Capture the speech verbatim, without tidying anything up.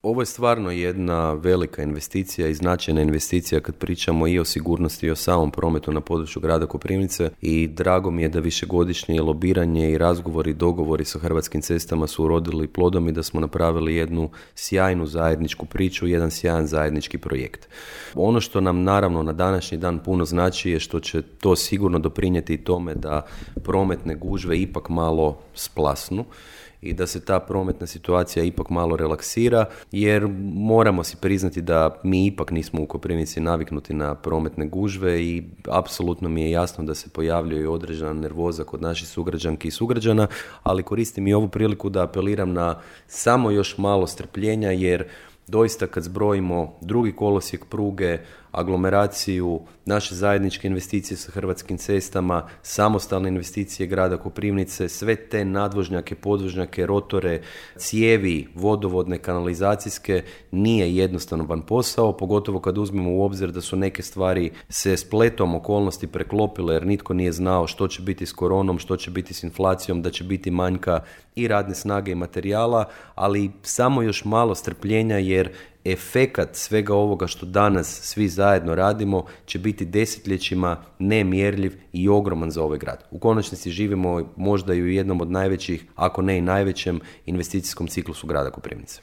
Ovo je stvarno jedna velika investicija i značajna investicija kad pričamo i o sigurnosti i o samom prometu na području grada Koprivnice i drago mi je da višegodišnje lobiranje i razgovori i dogovori sa Hrvatskim cestama su urodili plodom i da smo napravili jednu sjajnu zajedničku priču, jedan sjajan zajednički projekt. Ono što nam naravno na današnji dan puno znači je što će to sigurno doprinijeti i tome da prometne gužve ipak malo splasnu i da se ta prometna situacija ipak malo relaksira, jer moramo si priznati da mi ipak nismo u Koprivnici naviknuti na prometne gužve i apsolutno mi je jasno da se pojavljuje i određena nervoza kod naših sugrađanki i sugrađana, ali koristim i ovu priliku da apeliram na samo još malo strpljenja, jer doista kad zbrojimo drugi kolosijek pruge, aglomeraciju, naše zajedničke investicije sa Hrvatskim cestama, samostalne investicije grada Koprivnice, sve te nadvožnjake, podvožnjake, rotore, cijevi, vodovodne, kanalizacijske, nije jednostavan posao, pogotovo kad uzmemo u obzir da su neke stvari se spletom okolnosti preklopile jer nitko nije znao što će biti s koronom, što će biti s inflacijom, da će biti manjka i radne snage i materijala, ali samo još malo strpljenja jer efekat svega ovoga što danas svi zajedno radimo će biti desetljećima nemjerljiv i ogroman za ovaj grad. U konačnici živimo možda i u jednom od najvećih, ako ne i najvećem investicijskom ciklusu grada Koprivnice.